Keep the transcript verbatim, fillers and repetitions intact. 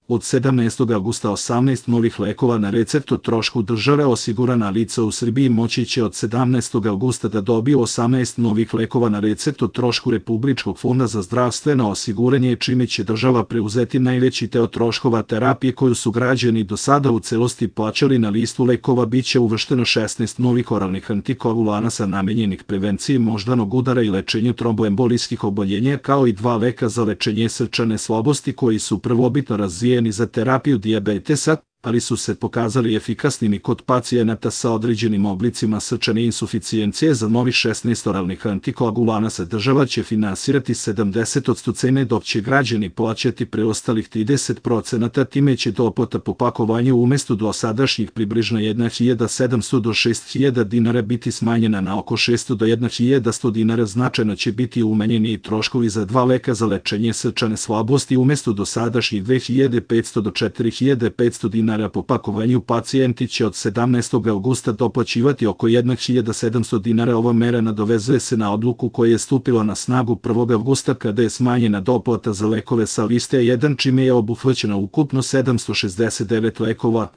Od sedamnaestog avgusta osamnaest novih lekova na recept o trošku države. Osigurana lica u Srbiji moći će od sedamnaestog avgusta da dobiju osamnaest novih lekova na recept o trošku Republičkog fonda za zdravstveno osiguranje, čime će država preuzeti najveći deo troškova terapije koju su građani do sada u celosti plaćali. Na listu lekova biće uvršteno šesnaest novih oralnih antikoagulanasa namenjenih prevenciji moždanog udara i lečenju tromboembolijskih oboljenja, kao i dva leka za lečenje srčane slabosti koji su prvobitno razvijeni za terapiju dijabetesa, ali su se pokazali efikasnim i kod pacijenata sa određenim oblicima srčane insuficijencije. Za novih šesnaest oralnih antikoagulanasa država će finansirati sedamdeset posto cene, dok će građani plaćati preostalih trideset posto. Time će doplata po pakovanju umesto dosadašnjih približno hiljadu sedamsto do šest hiljada dinara biti smanjena na oko šesto do hiljadu sto dinara. Značajno će biti umanjeni i troškovi za dva leka za lečenje srčane slabosti. Umesto dosadašnjih dve hiljade petsto do četiri hiljade petsto dinara po pakovanju, pacijenti će od sedamnaestog avgusta doplaćivati oko hiljadu sedamsto dinara. Ova mera nadovezuje se na odluku koja je stupila na snagu prvog avgusta kada je smanjena doplata za lekove sa liste jedan, čime je obuhvaćeno ukupno sedamsto šezdeset devet lekova.